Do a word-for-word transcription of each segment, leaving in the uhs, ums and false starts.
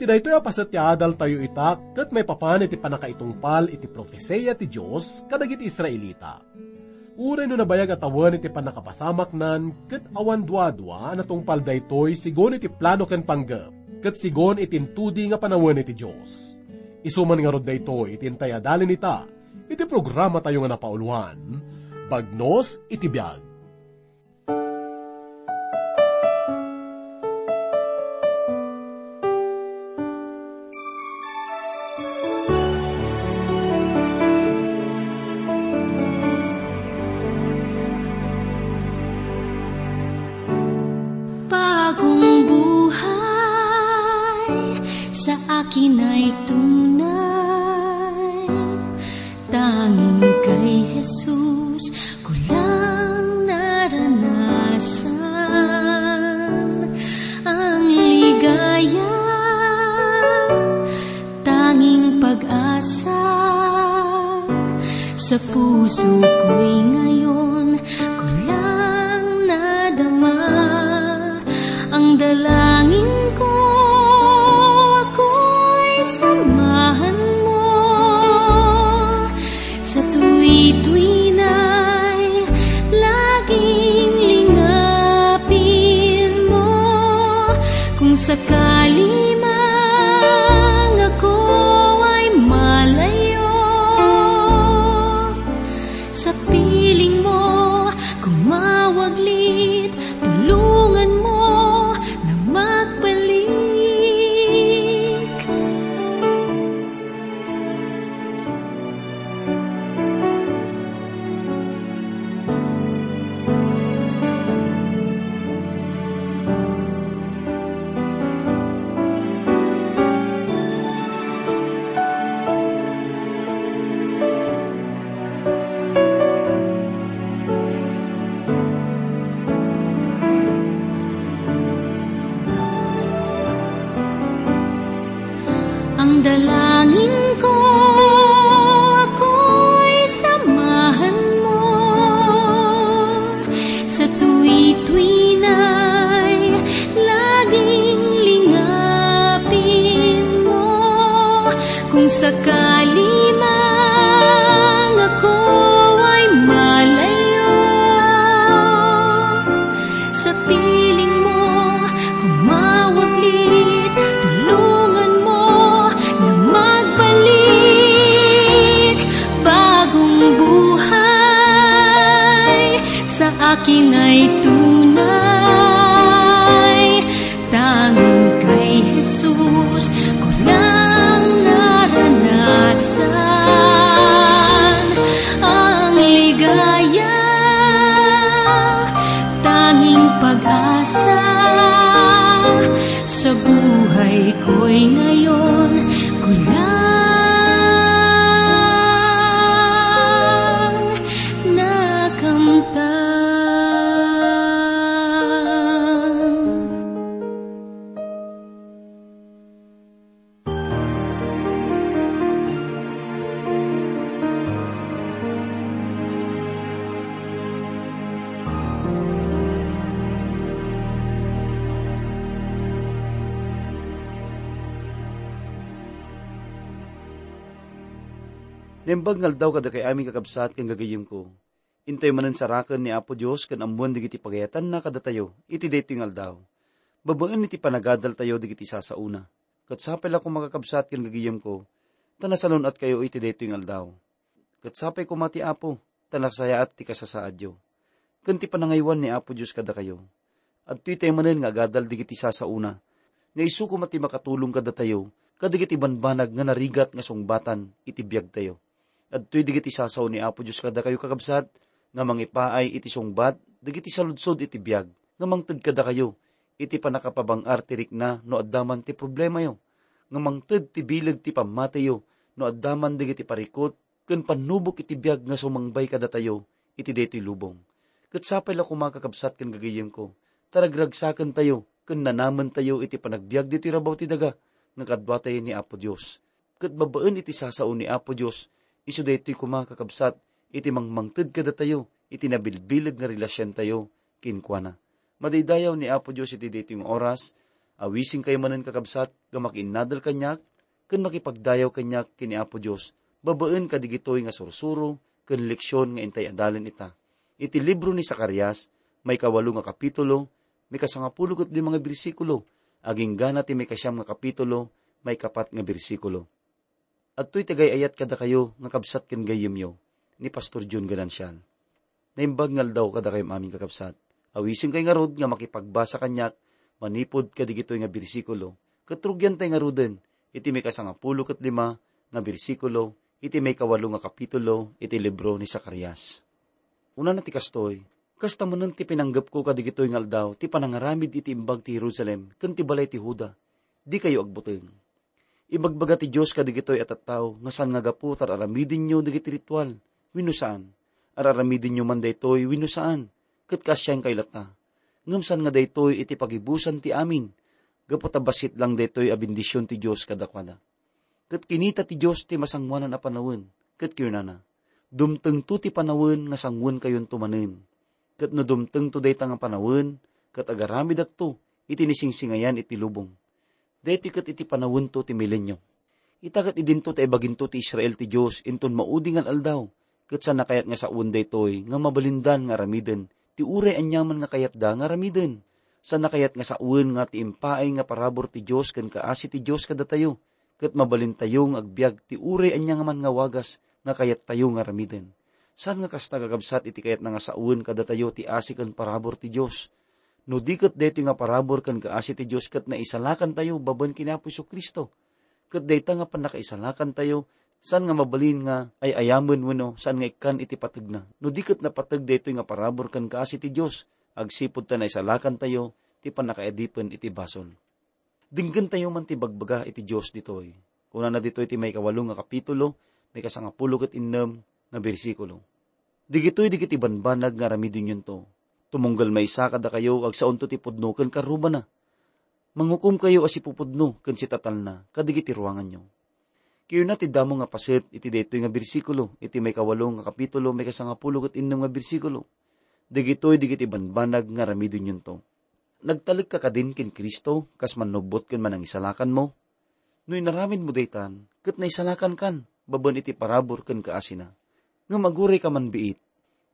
Daytoy a paset ti adaltayo ita ket maipapan iti pannakaitungpal iti profesia ti Dios kadagiti Israelita. Uray no nabayag a tawen iti pannakapasamaknan ket awan duadua a natungpal daytoy sigon iti plano ken panggep, ket sigon iti intudi nga panawen iti Dios. Isu man ngarud daytoy iti intay adalin ita iti programatayo nga napauluan, Bagnos iti Biag. Bagong buhay sa akin ay tunay. Tanging kay Jesus ko lang naranasan ang ligaya. Tanging pag-asa sa puso ko'y ngayon ko lang nadama. Ang dalangin ko, ako'y samahan mo sa tuwid-tuwinay, laging lingapin mo. Kung sakali mang ako ay malayo sa piling mo, kumawaglit, tulungan mo na magbalik. Ang dalangin ko, ako'y samahan mo sa tuwid-tuwinay, laging lingapin mo. Kung sakali mang ako ay malayo sa piling mo, kumawaglit, tulungan mo na magbalik. Bagong buhay sa akin ay tunay. Tanging kay Jesus ko lang naranasan ang ligaya. Tanging pag-asa sa buhay ko'y ngayon ko lang nakamtan. Naimbag nga aldaw kadakay amin, kakabsat ken gagayyemko. Intoy manen saraken ni Apo Dios ken ammoen dagiti pagayatanna kadatayo iti daytoy nga aldaw. Babaen iti panagadaltayo dagiti sasaona. Ket sapay la koma, kakabsat ken gagayyemko, ta nasalun-atkayo iti daytoy nga aldaw. Ket sapay koma ti Apo, ta nasayaat ti kasasaadyo. Ken ti panangaywan ni Apo Dios kadakayo. Adtoy tay manen nga agadal dagiti sasaona, nga isu koma ti makatulong kadatayo kadagiti banbanag nga narigat nga sungbatan iti biagtayo. Adtoy dagiti sasao ni Apo Dios kadakayo, kakabsat, nga mangipaay iti sungbat dagiti saludsod iti biag, nga mangted kadakayo iti pannakapabang-ar ti rikna no adda man ti problemayo, nga mangted ti bileg ti pammatiyo no adda man dagiti parikut ken pannubok iti biag nga sumangbay kadatayo iti daytoy lubong. Ket sapay la koma, kakabsat ken gagayyemko, ta ragragsakentayo ken nanamentayo iti panagbiag ditoy rabaw ti daga nga kaduatayo ni Apo Dios. Ket babaen iti sasao ni Apo Dios, isu daytoy koma, kakabsat, iti mangmangted kadatayo iti nabilbileg nga relasiontayo kenkuana. Madaydayaw ni Apo Dios iti daytoy nga oras, Awisenkayo manen, kakabsat, nga makiinnadal kaniak ken makipagdayaw kaniak ken ni Apo Dios babaen kadigitoy nga sursuro ken leksion nga intay adalen ita. Iti libro ni Zacarias, maikawalo nga kapitulo, maikasangapulo ket lima nga bersikulo, agingga na ti maikasiam nga kapitulo, maikapat nga bersikulo. Adtoy ti agay-ayat kadakayo nga kabsat ken gayyemyo ni Pastor John Ganancial. Naimbag nga aldaw kadakayo amin, kakabsat. Awisenkayo ngarud nga makipagbasa kaniak manipud kadigitoy nga bersikulo, ket rugiantay ngaruden iti maikasangapulo ket lima nga bersikulo iti maikawalo nga kapitulo iti libro ni Zacarias. Kunana ti kastoy, "Kasta manen ti pinanggepko kadigitoy nga aldaw ti panangaramid iti imbag ti Jerusalem ken ti balay ti Juda. Dikayo agbuteng." Ibagbaga ti Dios kadigitoy a tattao nga saan nga gapu ta ar-aramidenyo dagiti ritual wenno saan. Ar-aramidenyo man daytoy wenno saan, ket kaasiankayo latta. Ngem saan nga daytoy iti pagibusan ti amin, gapu ta bassit lang daytoy a bendision ti Dios kadakuada. Ket kinita ti Dios ti masangoanan a panawen, ket kinunana, "Dumtengto ti panawen nga sangoenkayonto manen. Ket no dumtengto dayta nga panawen, ket agaramidakto iti nisingsingayan iti lubong." Daytoy ket iti panawento ti milenio. Ita ket idinto ta ibaginto ti Israel ti Dios inton maudi nga al-aldaw, ket saan a kayat nga sawen daytoy nga mabalindan nga aramiden ti uray aniaman nga kayatda nga aramiden. Saan a kayat nga sawen nga ti impaay nga parabur ti Dios ken kaasi ti Dios kadatayo, ket mabalintayo nga agbiag ti uray ania man nga wagas nga kayattayo nga aramiden. Saan nga kasta, kakabsat, iti kayatna nga sawen kadatayo ti asi ken parabur ti Dios? No di ket daytoy nga parabur ken kaasi ti Dios ket naisalakantayo babaen ken ni Apo Jesu-Cristo. Ket dayta nga pannakaisalakantayo, saan nga mabalin nga ay-ayamen wenno saan nga ikkan iti pategna? No di ket napateg daytoy nga parabur ken kaasi ti Dios, agsipud ta naisalakantayo ti pannakaadipen iti basol. Denggentayo man ti bagbaga iti Dios ditoy. Kunana ditoy ti maikawalo nga kapitulo, maikasangapulo ket innem nga bersikulo, "Digitoy dagiti banbanag nga aramidenyonto. Tumunggal maysa kadakayo, agsaonto ti pudno ken karrubana. Mangukomkayo a sipupudno ken sitatalna kadagiti ruanganyo." Kinuna ti damo nga paset iti daytoy nga bersikulo, iti maikawalo nga kapitulo, maikasangapulo ket innem nga bersikulo, "Dagitoy dagiti banbanag nga aramidenyonto." Nagtalekka kadin ken Cristo kas mannubbot ken manangisalakanmo? No inaramidmo daytan, ket naisalakankan babaen iti parabur ken kaasina. Ngem agurayka man biit.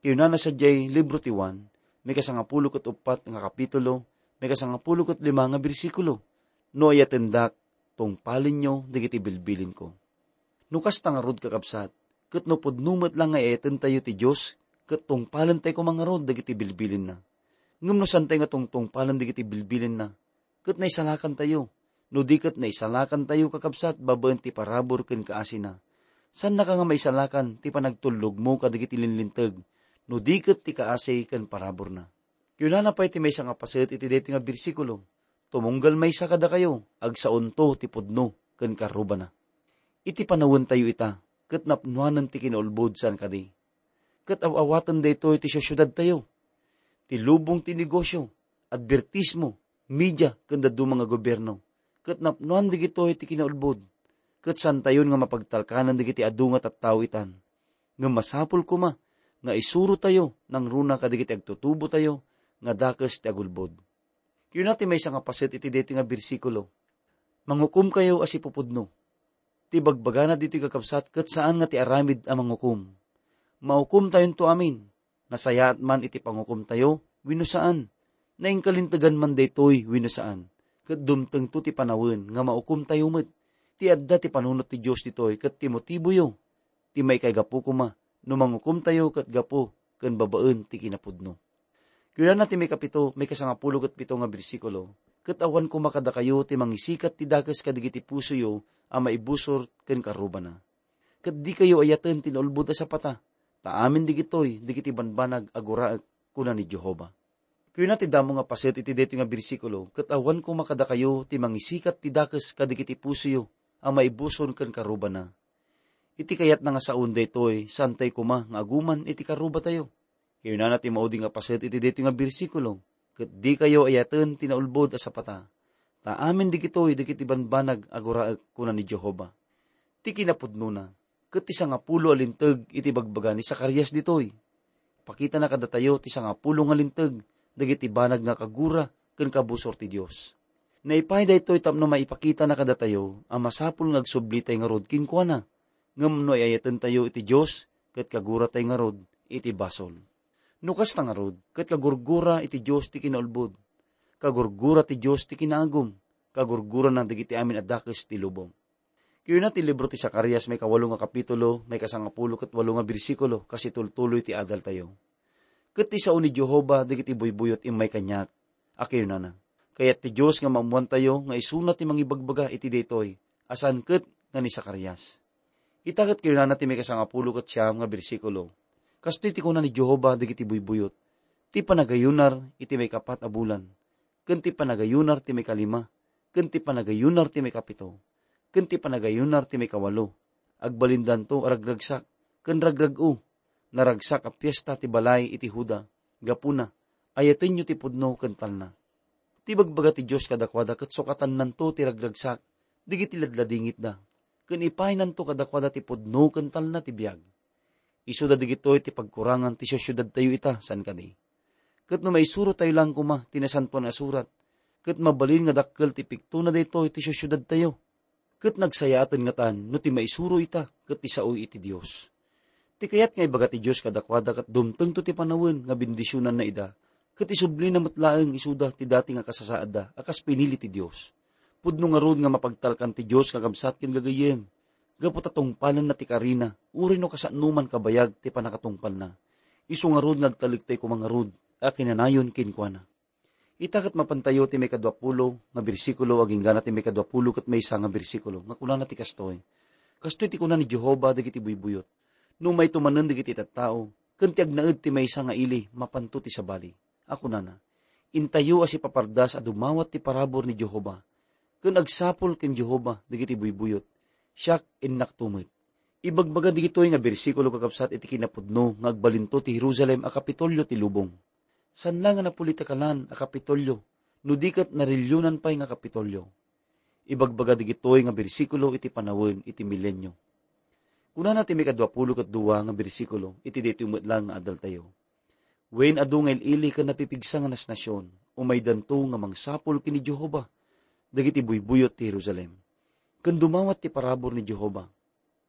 Kinunana sadiay libro ti Juan, maikasangapulo ket uppat nga kapitulo, maikasangapulo ket lima nga bersikulo, "No ayatendak, tungpalenyo dagiti bilbilinko." No kasta ngarud, kakabsat, ket no pudno met la nga ayatentayo ti Dios, ket tungpalentayo koma ngarud dagiti bilbilinna. Ngem no saantayo nga tungtungpalen dagiti bilbilinna, ket naisalakantayo. No di ket naisalakantayo, kakabsat, babaen ti parabur ken kaasina, saannaka nga maisalakan ti panagtullogmo kadagiti linlinteg, no di ket ti kaasi ken paraburna. Kinunana pay ti maysa nga paset iti daytoy nga bersikulo, "Tumunggal maysa kadakayo, agsaonto ti pudno ken karrubana." Iti panawentayo ita, ket napnoanen ti kinaulbod saan kadi. Ket aw-awaten daytoy ti siudsiudadtayo, ti lubong ti negosio, adbertismo, media, ken dadduma nga gobierno. Ket napnoan dagitoy ti kinaulbod. Ket saantayon nga mapagtalkanan dagiti adu nga tattao itan. Ngem masapul koma nga isurotayo nangruna kadagiti agtutubotayo nga dakes ti agulbod. Kinuna ti maysa nga paset iti daytoy nga bersikulo, "Mangukomkayo a sipupudno." Ti bagbagana ditoy, kakabsat, ket saan nga ti aramid a mangukom. Maukomtayonto amin. Nasayaat man iti pangukomtayo wenno saan. Nainkalintegan man daytoy wenno saan. Ket dumtengto ti panawen nga maukomtayo met. Ti adda ti panunot ti Dios ditoy ket ti motiboyo ti maikaigapu koma no mangukomtayo ket gapu ken babaen ti kinapudno. Kunana ti maikapito, maikasangapulo ket pito nga bersikulo, "Ket awan koma kadakayo ti mangisikat ti dakes kadagiti pusoyo a maibusor ken karrubana. Ket dikayo ayaten ti naulbod a sapata, ta amin dagitoy dagiti banbanag a guraek," kuna ni Jehova. Kuna ti damo nga paset iti daytoy nga bersikulo, "Ket awan koma kadakayo ti mangisikat ti dakes kadagiti pusoyo a maibusor ken karrubana." Iti kayatna nga saon daytoy, saantay koma nga aguman iti karrubatayo. Kinunana ti maudi nga paset iti daytoy nga bersikulo, "Ket dikayo ayaten ti naulbod a sapata, ta amin dagitoy dagiti banbanag a guraek," kuna ni Jehova. Ti kinapudnona, ket ti sangapulo a linteg iti bagbaga ni Zacarias ditoy. Pakitana kadatayo ti sangapulo nga linteg dagiti banag nga kagura ken kabusor ti Dios. Naipaay daytoy tapno maipakitana kadatayo a masapul nga agsublitay ngarud kenkuana, ngem no ay-ayatentayo iti Dios, ket kaguratay ngarud iti basol. No kasta ngarud, ket kagurgura iti Dios ti kinaulbod, kagurgura ti Dios ti kinaagum, kagurgurana dagiti amin a dakes ti lubong. Kayuna ti libro ti Zacarias, maikawalo nga kapitulo, maikasangapulo ket walo nga bersikulo, kas itultuloy ti adaltayo. Ket ti sao ni Jehovah dagiti buybuyot immay kaniak, a kayunana, "Kayat ti Dios nga maammoantayo nga isuna ti mangibagbaga iti daytoy, a saan ket nga ni Zacarias." Ita ket kayunana ti maikasangapulo ket siam nga bersikulo, "Kastoy ti kuna ni Jehovah dagiti buybuyot, ti panagayunar iti maikapat a bulan, ken ti panagayunar ti maikalima, ken ti panagayunar ti maikapito, ken ti panagayunar ti maikawalo. Agbalindanto a ragragsak ken ragrag-o. Naragsak a fiesta ti balay iti Juda. Gapuna, ayatenyo ti pudno ken talna." Ti ibagbaga ti Dios kadakuada ket sukatannanto ti ragragsak dagiti ladladingitda, ken ipaynanto kadakuada ti pudno ken talna ti biag. Isuda dagitoy ti pagkurangan ti siusiudadtayo ita, saan kadi? Ket no maisurotayo laeng koma ti Nasantoan a Surat, ket mabalin nga dakkel ti piktona daytoy ti siusiudadtayo. Ket nagsayaaten ngatan no ti maisuro ita ket ti sao iti Dios. Ti kayat nga ibaga ti Dios kadakuada ket dumtengto ti panawen nga bendisionanna ida, ket isublina met laeng isuda ti dati nga kasasaadda a kas pinili ti Dios. Pudno ngarud nga mapagtalkan ti Dios, kakabsat ken gagayyem, gapu ta tungpalenna ti karina, uray no kasanoman kabayag ti pannakatungpalna. Isu ngarud nga agtalektayo koma ngarud a kinanayon kenkuana. Ita ket mapantayo ti maikadua pulo nga bersikulo agingga ti maikadua pulo ket maysa nga bersikulo, nga kunana ti kastoy, "Kastoy ti kuna ni Jehovah dagiti buybuyot, no mayto manen dagiti tattao, ken ti agnaed ti maysa nga ili mapanto ti sabali, a kunana, 'Intayo a sipapardas a dumawat ti parabur ni Jehovah, ken agsapul ken Jehovah dagiti buybuyot, siak innakto met.'" Ibagbaga dagitoy nga bersikulo, kakabsat, iti kinapudno nga agbalinto ti Jerusalem a Kapitolio ti lubong. Saan la nga napolitikalan a Kapitolio, no di ket narelionan pay nga Kapitolio. Ibagbaga dagitoy nga bersikulo iti panawen iti milenio. Kunana ti maikadua pulo ket dua nga bersikulo iti daytoy met laeng nga adaltayo, "Wen adu nga il-ili ken napipigsa nga nasnasion, umaydanto nga mangsapul ken ni Jehovah dagiti buybuyot ti Jerusalem, ken dumawat ti parabur ni Jehovah."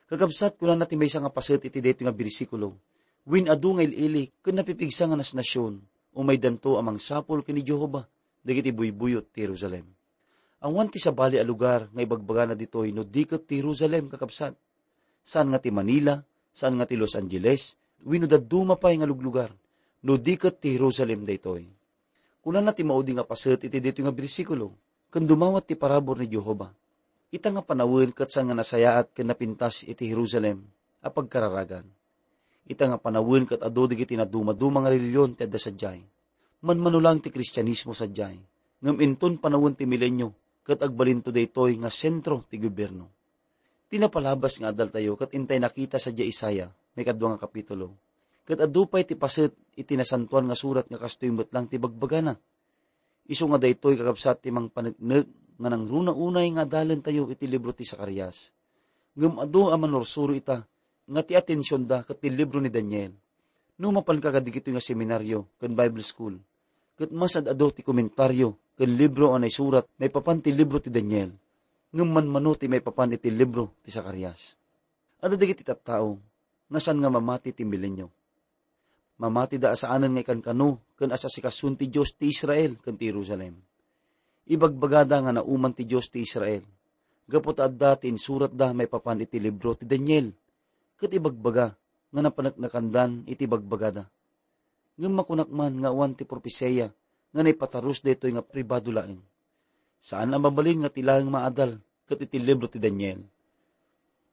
Kakabsat, kunana ti maysa nga paset iti daytoy nga bersikulo, "Wen adu nga il-ili ken napipigsa nga nasnasion, umaydanto a mangsapul ken ni Jehovah dagiti buybuyot ti Jerusalem." Awan ti sabali a lugar nga ibagbagana ditoy no di ket ti Jerusalem, kakabsat. Saan nga ti Manila, saan nga ti Los Angeles, wenno dadduma pay nga luglugar, no di ket ti Jerusalem daytoy. Kunana ti maudi nga paset iti daytoy nga bersikulo, "Ken dumawat ti parabur ni Jehovah." Ita nga panawen ket saan nga nasayaat ken napintas iti Jerusalem a pagkararagan. Ita nga panawen ket adu dagiti naduma-duma nga relihion ti adda sadiay. Manmano laeng ti Kristianismo sadiay, ngem inton panawen ti milenio ket agbalinto daytoy nga sentro ti gobierno. Ti napalabas nga adaltayo ket intay nakita sadiay Isaiah, maikadua nga kapitulo. Ket adu pay ti paset iti Nasantoan nga Surat nga kastoy met laeng ti bagbagana. Isu nga daytoy, kakabsat, ti mangpaneknek nga nangruna unay nga adalentayo iti libro ti Zacarias. Ngem adu a manursuro ita nga ti atensionda ket ti libro ni Daniel. No mapanka kadagitoy nga seminario ken Bible school, ket masad-adu ti komentario ken libro a naisurat maipapan ti libro ti Daniel, ngem manmano ti maipapan iti libro ti Zacarias. Adda dagiti tattao nga saan nga mamati ti milenio. Mamatida a saanen nga ikankano ken asasikason ti Dios ti Israel ken ti Jerusalem. Ibagbagada nga nauman ti Dios ti Israel, gapu ta adda ti insuratda maipapan iti libro ti Daniel, ket ibagbaga nga napaneknekandan iti bagbagada. Ngem makunak man nga awan ti propesia nga naipatarus daytoy nga pribado laeng. Saan a mabalin nga ti laeng maadal ket iti libro ti Daniel.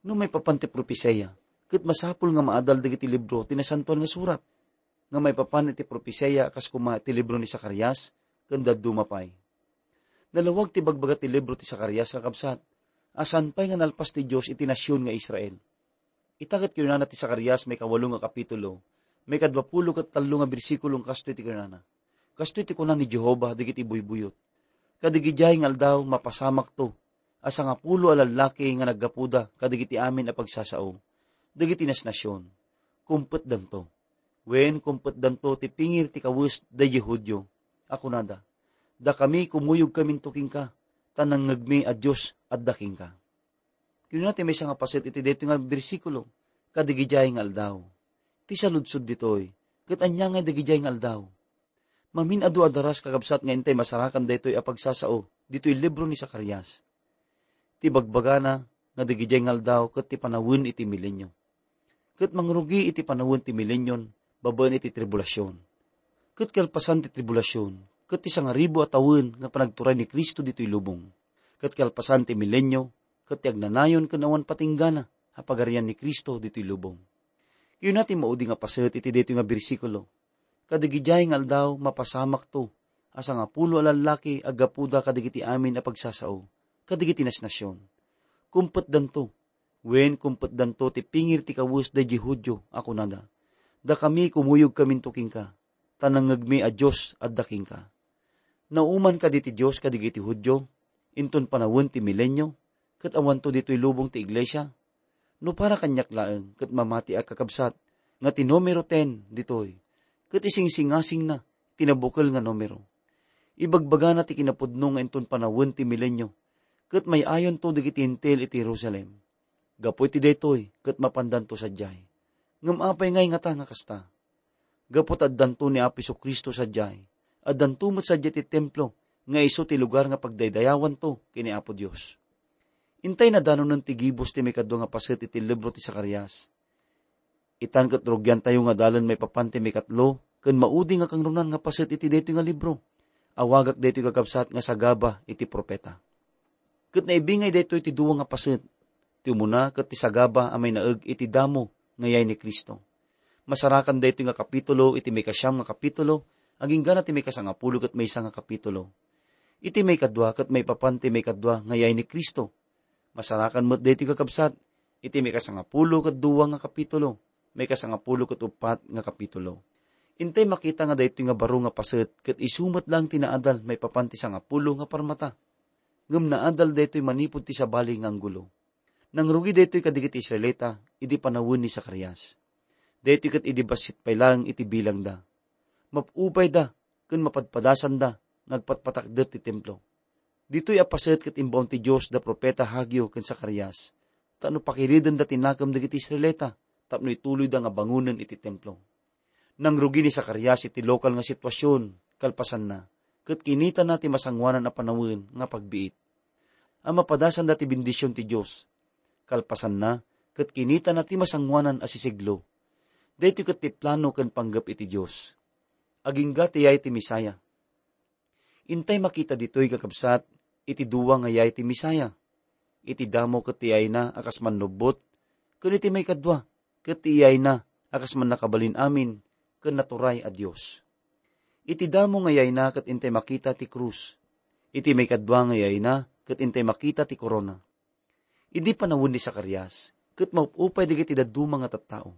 No maipapan ti propesia, ket masapul nga maadal dagiti libro ti Nasantoan nga Surat, nga maipapan iti propesia a kas koma iti libro ni Zacarias ken dadduma pay. Nalawag ti bagbaga ti libro ti Zacarias, kakabsat, a saan pay nga nalpas ti Dios iti nasion nga Israel. Ita ket kinunana ti Zacarias, maikawalo nga kapitulo, maikadua pulo ket tallo nga bersikulo, nga kastoy ti kinunana, "Kastoy ti kuna ni Jehovah dagiti buybuyot, 'Kadagidiay nga aldaw, mapasamakto a sangapulo a lallaki nga naggapuda kadagiti amin a pagsasao dagiti nasnasion. Kumpetdanto, wen, kumpetdanto ti pingir ti kawes daydi Judio, a kunada, 'Dakami, kumuyogkaminto kenka, ta nangngegmi a Dios adda kenka. Kinuna ti maysa nga paset iti daytoy nga bersikulo, "Kadagidiay nga aldaw." Ti saludsod ditoy, ket ania ngay dagidiay nga aldaw? Mamin-adu a daras, kakabsat, nga intay masarakan daytoy a pagsasao ditoy libro ni Zacarias. Ti bagbagana nga dagidiay nga aldaw ket ti panawen iti milenio. Ket mangrugi iti panawen ti milenion babaen iti tribulasion. Ket kalpasan ti tribulasion, ket ti sangaribu a tawen nga panagturay ni Cristo ditoy lubong. Ket kalpasan ti milenio, ket ti agnanayon ken awan patinggana a pagarian ni Cristo ditoy lubong. Kayuna ti maudi nga paset iti daytoy nga bersikulo, "Kadagidiay nga aldaw, mapasamakto a sangapulo a lallaki a gapuda kadagiti amin a pagsasao, kadagiti nasnasion. Kumpetdanto, wen kumpetdanto ti pingir ti kawes daydi Judio a kunada, 'Dakami, kumuyogkaminto kenka, ta nangngegmi a Dios adda kenka.' Nauman kadi ti Dios kadagiti Judio inton panawen ti milenio, ket awanto ditoy lubong ti iglesia? No para kaniak laeng, ket mamatiak, kakabsat, nga ti numero ten ditoy, ket isingsingasingna ti nabukel nga numero. Ibagbagana ti kinapudno nga inton panawen ti milenio, ket may-ayonto dagiti Hentil iti Jerusalem. Gapu iti daytoy, ket mapandanto sadiay. Ngem apay ngay ngata nga kasta? Gapu ta addanto ni Apo Jesu-Cristo sadiay, addanto met sadiay ti templo nga isu ti lugar nga pagdaydayawanto ken ni Apo Dios." Intay nadanonen ti gibus ti maikadua nga paset iti libro ti Zacarias. Itan ket rugiantayo nga adalen maipapan ti maikatlo ken maudi nga kangrunan nga paset iti daytoy nga libro. Awagak daytoy, kakabsat, nga sagaba iti profeta. Ket naibingay daytoy ti dua nga paset. Ti umuna ket ti sagaba a mainaeg iti damo nga yay ni Cristo. Masarakan daytoy nga kapitulo iti maikasiam nga kapitulo, agingga na ti maikasangapulo ket maysa nga kapitulo. Iti maikadua ket maipapan ti maikadua nga yay ni Cristo. Masarakan met daytoy, kakabsat, iti maikasangapulo ket dua nga kapitulo, maikasangapulo ket uppat nga kapitulo. Intay makita nga daytoy nga baro nga paset ket isu met laeng ti naadal maipapan ti sangapulo nga parmata. Ngem naadal daytoy manipud ti sabali nga anggulo. Nangrugi daytoy kadagiti Israelita idi panawen ni Zacarias. Daytoy ket idi bassit pay laeng iti bilangda. Map-upayda ken mapadpadasanda nga agpatpatakder ti templo. Ditoy a paset ket imbaon ti Dios da profeta Hageo ken Zacarias tapno pakiridenda ti nakem dagiti Israelita tapno ituloyda nga bangonen iti templo. Nangrugi ni Zacarias iti lokal nga situasion kalpasanna, ket kinitana ti masangoanan a panawen nga pagbiit. A mapadasanda ti bendision ti Dios. Kalpasanna, ket kinitana ti masangoanan a sisiglo. Daytoy ket ti plano ken panggep iti Dios. Agingga ti yay ti Messiah. Intay makita ditoy, kakabsat, iti dua nga yay ti Messiah. Iti damo ket ti yayna a kas mannubbot, ken iti maikadua ket ti yayna a kas mannakabalin amin ken naturay a Dios. Iti damo nga yayna ket intay makita ti krus. Iti maikadua nga yayna ket intay makita ti korona. Idi panawen ni Zacarias, ket maup-upay dagiti dadduma nga tattao.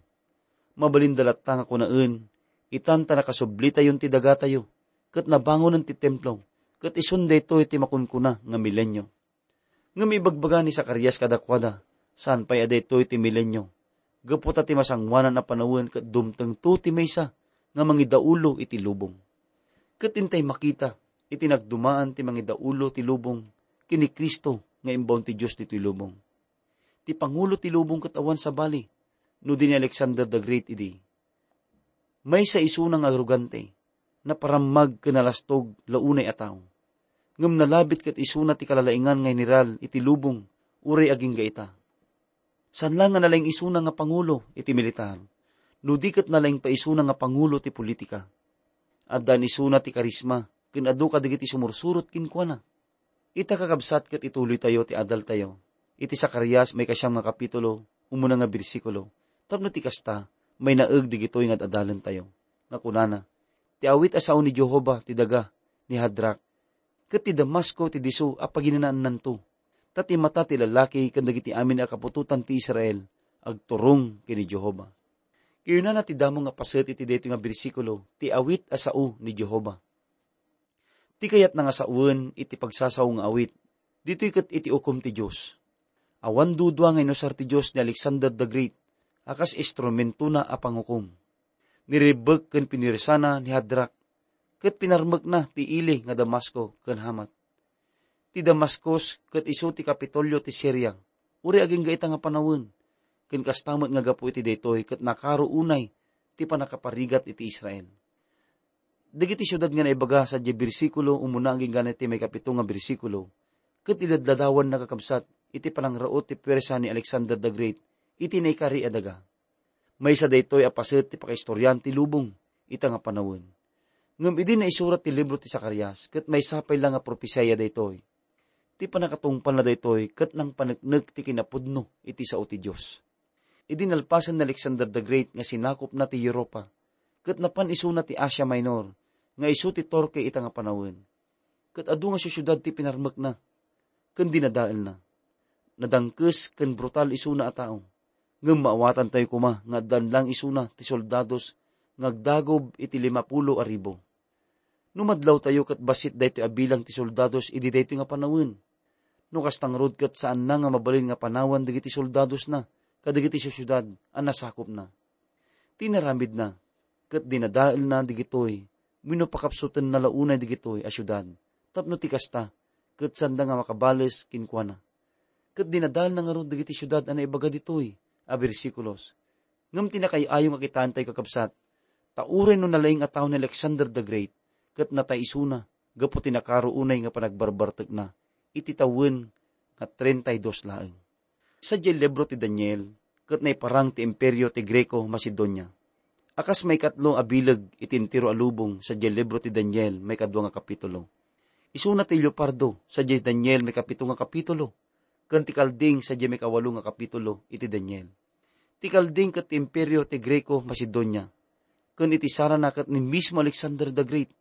Mabalinda latta nga kunaen, itan ta nakasublitayon ti dagatayo, ket nabangonen ti templo, ket isun daytoy ti makunkuna nga milenio. Ngem ibagbaga ni Zacarias kadakuada, saan pay a daytoy ti milenio, gapu ta ti masangoanan a panawen ket dumtengto ti maysa nga mangidaulo iti lubong. Ket intay makita iti nagdumaan ti mangidaulo ti lubong ken ni Cristo nga imbaon ti Dios ditoy lubong. Ti pangulo ti lubong ket awan sabali no di ni Alexander the Great idi. Maysa isuna nga arogante, naparammag ken nalastog la unay a tao. Ngem nalabit ket isuna ti kalalaingan nga general iti lubong uray agingga ita. Saan la nga nalaing isuna nga pangulo iti militar, no di ket nalaing pay isuna nga pangulo ti politika. Addan isuna ti karisma ken adu kadagiti sumursurot kenkuana. Ita, kakabsat, ket ituloytayo ti adaltayo iti Zacarias maikasiam nga kapitulo, umuna nga bersikulo, tapno ti kasta, mainaeg dagitoy nga ad-adalentayo, nga kunana, "Ti awit a sao ni Jehovah ti daga ni Hadrak, ket ti Damasco ti disso a paginanaannanto, ta ti mata ti lalaki ken dagiti amin a kaputotan ti Israel agturong ken ni Jehovah." Kayunana ti damo nga paset iti daytoy nga bersikulo ti awit a sao ni Jehovah. Ti kayatna nga sawen iti pagsasao nga awit, ditoy ket iti ukom ti Dios. Awan dudua nga inusar ti Dios ni Alexander the Great a kas instrumentona a pangukom. Niribbek ken pinuersana ni Hadrak, ket pinarmekna ti ili nga Damasco ken Hamat. Ti Damascus ket isu ti Kapitolio ti Siria, uray agingga ita nga panawen. Ken kasta met nga gapu iti daytoy ket nakaro unay ti pannakaparigat iti Israel. Dagiti siudad nga naibaga sadiay bersikulo umuna agingga iti maikapito nga bersikulo, ket iladladawanna, kakabsat, iti panangraut ti puwersa ni Alexander the Great iti naikari a daga. Maysa daytoy a paset ti pakaistorian ti lubong ita nga panawen. Ngem idi naisurat ti libro ti Zacarias, ket maysa pay la nga propesiya daytoy. Ti pannakatungpalna daytoy ket nangpaneknek ti kinapudno iti sao ti Dios. Idi nalpasen ni Alexander the Great nga sinakopna ti Europa, ket napan isuna ti Asia Minor, nga isu ti Turkey ita nga panawen. Ket adu nga siusiudad ti pinarmekna ken dinadaelna. Nadangkes ken brutal isuna a tao. Ngem maawatantayo koma nga addaan lang isuna ti soldados nga agdagob iti limapulo a ribu. No madlawtayo ket bassit daytoy a bilang ti soldados idi daytoy nga panawen. No kasta ngarud ket saanna nga mabalin nga panawan dagiti soldadosna kadagiti siusiudad a nasakopna. Ti inaramidna, ket dinadaelna digitoy wenno pakapsutenna la unay digitoy a siudad, tapno ti kasta, ket saanda nga makabales kenkuana. Ket dinadaelna ngarud dagiti siudad a naibaga ditoy a bersikulos. Ngem ti nakaay-ayo nga kitaentayo, kakabsat, ta uray no nalaing a tao ni Alexander the Great, ket natay isuna gapu ti nakaro unay nga panagbarbartekna iti tawen nga treinta y dos laeng. Sadiay libro ti Daniel, ket naiparang ti Imperio ti Greco-Macedonia. A kas maikatlo a bileg iti entero a lubong sadiay libro ti Daniel, maikadua nga kapitulo. Isuna ti leopardo sadiay Daniel, maikapito nga kapitulo, ken ti kalding sadiay maikawalo nga kapitulo iti Daniel. Ti kalding ket ti Imperio ti Greco-Macedonia, ken iti sarana ket ni mismo Alexander the Great.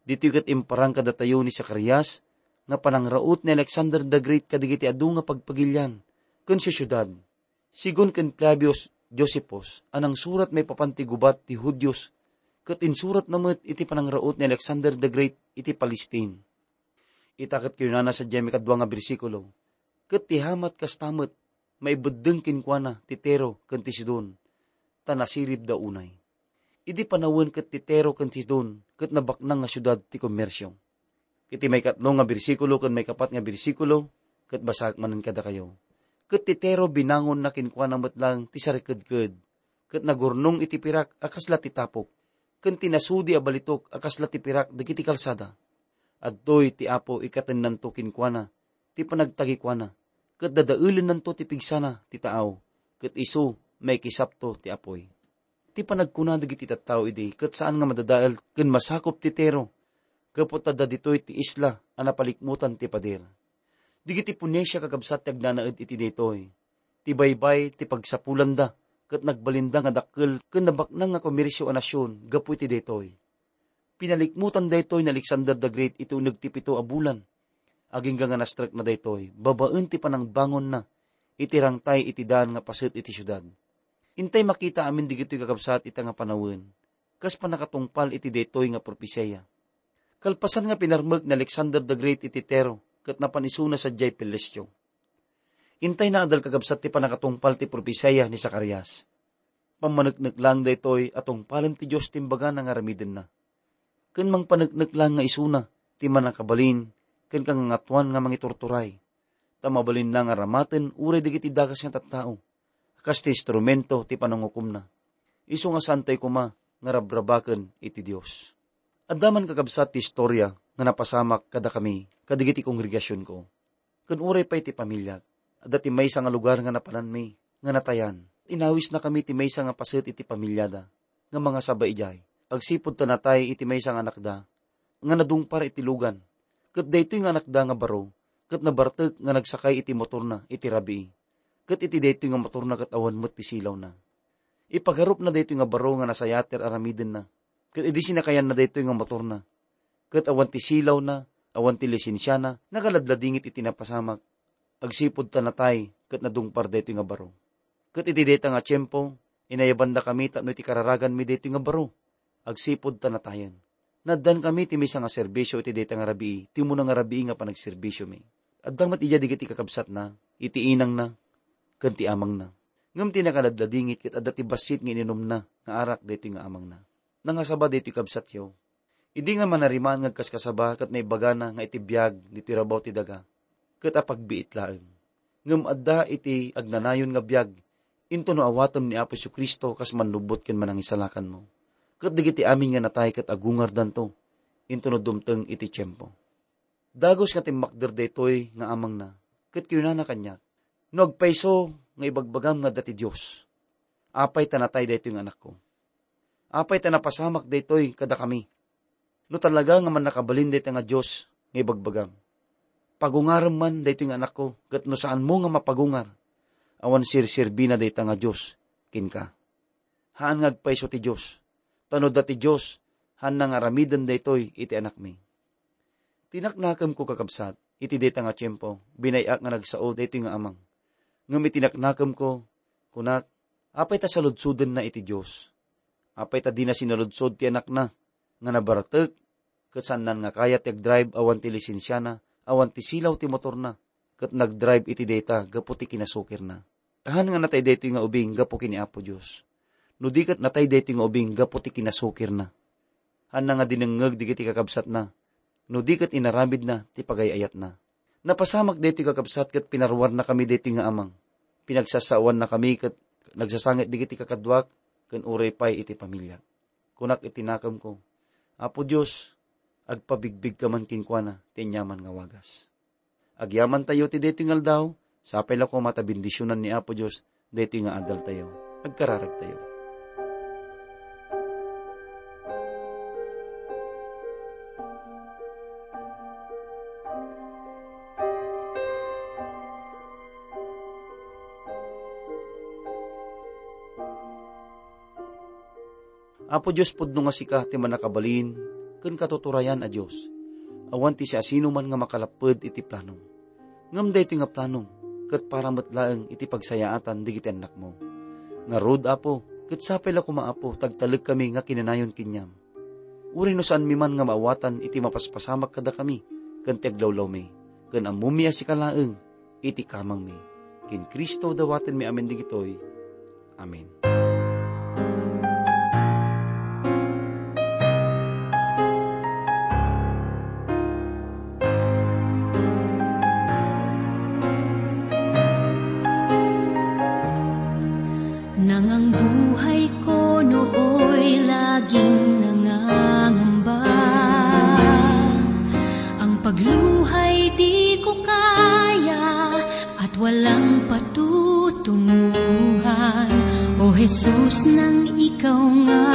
Ditoy ket imparang kadatayo ni Zacarias nga panangraut ni Alexander the Great kadagiti adu nga pagpagilian ken siusiudad. Sigun ken Flavius Josephus a nangsurat maipapan ti gubat ti Judios, ket insuratna met iti panangraut ni Alexander the Great iti Palestine. Ita ket kinunana sadiay maikadua nga bersikulo, "Ket ti Hamat kasta met, maibeddeng kenkuana ti Tiro ken ti Sidon, ta nasiribda unay." Idi panawen ket ti Tiro ken Sidon ket nabaknang nga siudad ti kommersio. Iti maikatlo nga bersikulo ken maikapat nga bersikulo, ket basaek manen kadakayo. Ket ti Tiro binangonna kenkuana met lang ti sarikedked, ket nagurnong iti pirak a kasla ti tapok, ken ti nasudi a balitok a kasla ti pirak dagiti kalsada. Adtoy ti Apo ikatennanto kenkuana ti panagtagikuana, ket dadaelennanto ti pigsana ti taaw, ket isu maikisapto ti apuy. Ti panagkuna dagiti tattao idi ket saan nga madadael ken masakop ti Tiro, gapu ta adda ditoy ti isla a napalikmutan ti pader. Dagiti Phoenicia, kakabsat, ti agnanaed iti daytoy. Ti baybay ti pagsapulanda ket nagbalinda nga dakkel ken nabaknang nga komersio a nasion gapu iti daytoy. Pinalikmutan daytoy ni Alexander the Great iti uneg ti pito a bulan. Agingga nga nastrekna daytoy babaen ti panangbangonna iti rangtay iti daan nga paset iti siudad. Intay makita amin dagitoy, kakabsat, ita nga panawen, kas pannakatungpal iti daytoy nga propesiya. Kalpasan nga pinarmek ni Alexander the Great iti Tiro ket napan isuna sadiay Pelestio. Intay naadal, kakabsat, ti pannakatungpal ti propesiya ni Zacarias. Pammaneknek lang daytoy a tungpalen ti Dios ti imbagana nga aramidenna. Ken mangpaneknek lang nga isuna ti mannakabalin ken kangangatoan nga mangiturturay, ta mabalin lang a ramaten uray dagiti dakes nga tattao, kas ti instrumento ti panangukomna. Isu nga saantayo koma nga rabrabaken iti Dios. Adda man, kakabsat, ti istoria nga napasamak kadakami kadagiti kongregasionko. Ken uray pay ti pamiliak, adda ti maysa nga lugar nga napananmi nga natayan. Inawisnakami ti maysa nga paset iti pamiliada nga mangasaba idiay, agsipud ta natay iti maysa nga anakda nga nadungpar iti lugan. Ket daytoy nga anakda nga baro ket nabartek nga nagsakay iti motorna iti rabii. Ket iti daytoy nga motorna ket awan met ti silawna. Ipagarupna daytoy nga baro nga nasayater aramidenna. Ket idi sinakayanna daytoy nga motorna, ket awan ti silawna, awan ti lisensiana, nakaladladingit iti napasamak. Agsipud ta natay ket nadungpar daytoy nga baro. Ket iti dayta nga tiempo, inayabandakami tapno iti kararaganmi daytoy nga baro. Agsipud ta natayen. Naaddankami ti maysa nga serbisio iti dayta nga rabii, ti umuna nga rabii nga panagserbisiomi. Adda met idiay dagiti kakabsatna, iti inangna, ken ti amangna. Ngem ti nakaladladingit ket adda ti bassit nga ininumna nga arak daytoy nga amangna. Nangasaba daytoy, kabsatyo. Idi nga manarimaan nga agkaskasaba ket naibagana nga iti biag ditoy rabaw ti daga, ket apagbiit laeng. Ngem adda iti agnanayon nga biag, intono awatem ni Apo Jesu-Cristo kas mannubbot ken manangisalakanmo. Ket dagiti amin nga natay ket agungardanto, intono dumteng iti tiempo. Dagus nga timmakder daytoy nga amangna, ket kinunana kaniak, "No agpayso nga ibagbagam nga adda ti Dios, apay ta natay daytoy nga anakko? Apay ta napasamak daytoy kadakami? No talaga nga mannakabalin dayta nga Dios nga ibagbagam, pagungarem man daytoy nga anakko, ket no saanmo nga mapagungar, awan serserbina dayta nga Dios kenka. Haan nga agpayso ti Dios, ta no adda ti Dios, haanna nga aramiden daytoy iti anakmi." Tinaknakemko, kakabsat, iti dayta nga tiempo, binay-ak nga nagsao daytoy nga amang. Ngem iti naknakemko, kunak, "Apay ta saludsodenna iti Dios? Apay ta dina sinaludsod ti anakna nga nabaratek ket saannan nga kayat ti agdrive awan ti lisensiana, awan ti silaw ti motorna, ket nagdrive iti dayta gapu ti kinasukirna? Haan nga natay daytoy nga ubing gapu ken ni Apo Dios. No di ket natay daytoy nga ubing gapu ti kinasukirna, haanna nga dinengngeg dagiti kakabsatna, no di ket inaramidna ti pagay-ayatna." Napasamak daytoy, kakabsat, ket pinaruarnakami daytoy nga amang. Pinagsasawannakami ket nagsasangit dagiti kakaduak ken uray pay iti pamiliak. Kunak iti nakemko, "Apo Dios, agpabigbigka man kenkuana ti aniaman nga wagas." Agyamantayo ti daytoy nga aldaw, sapay la koma ta bendisionan ni Apo Dios daytoy nga adaltayo. Agkararagtayo. Apo Dios, pudno nga sika ti mannakabalin ken katuturayan a Dios. Awan ti siasinoman nga makalapped iti planom. Ngem daytoy nga planom ket para met laeng iti pagsayaatan dagiti annakmo. Ngarud, Apo, ket sapay la koma, Apo, ta agtalek kami nga kinanayon kaniam. Uray no saanmi man nga maawatan iti mapaspasamak kadakami ken ti aglawlawmi, ken ammomi a sika laeng iti kamangmi. Ken Cristo dawatenmi amin dagitoy. Amen. Nangangbuhay ko nooy laging nangangamba. Ang pagluhay di ko kaya at walang patutunguhan. O Jesus, nang ikaw nga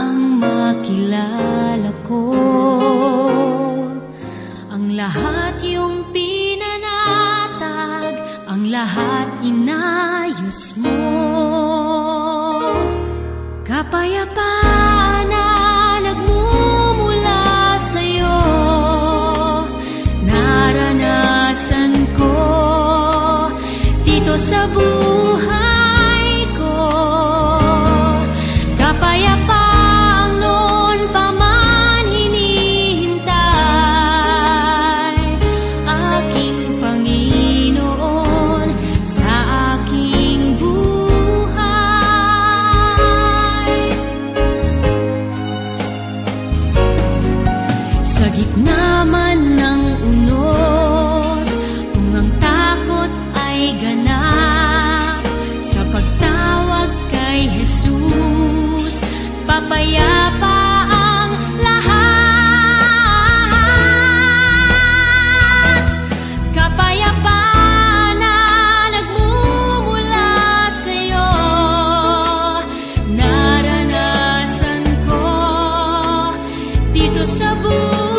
ang makilala ko. Ang lahat iyong pinanatag, ang lahat inayos mo. Kapayapaan na nagmumula sa'yo, naranasan ko dito sa buhay ko. Kapayapaang noon pa man hinihintay, aking Panginoon, sa aking buhay. Sa gitna man ng unos, kung ang takot ay ganap, sa pagtawag kay Jesus, papayapa ang lahat. Kapayapaan na nagmumula sa'yo, naranasan ko dito sa buhay.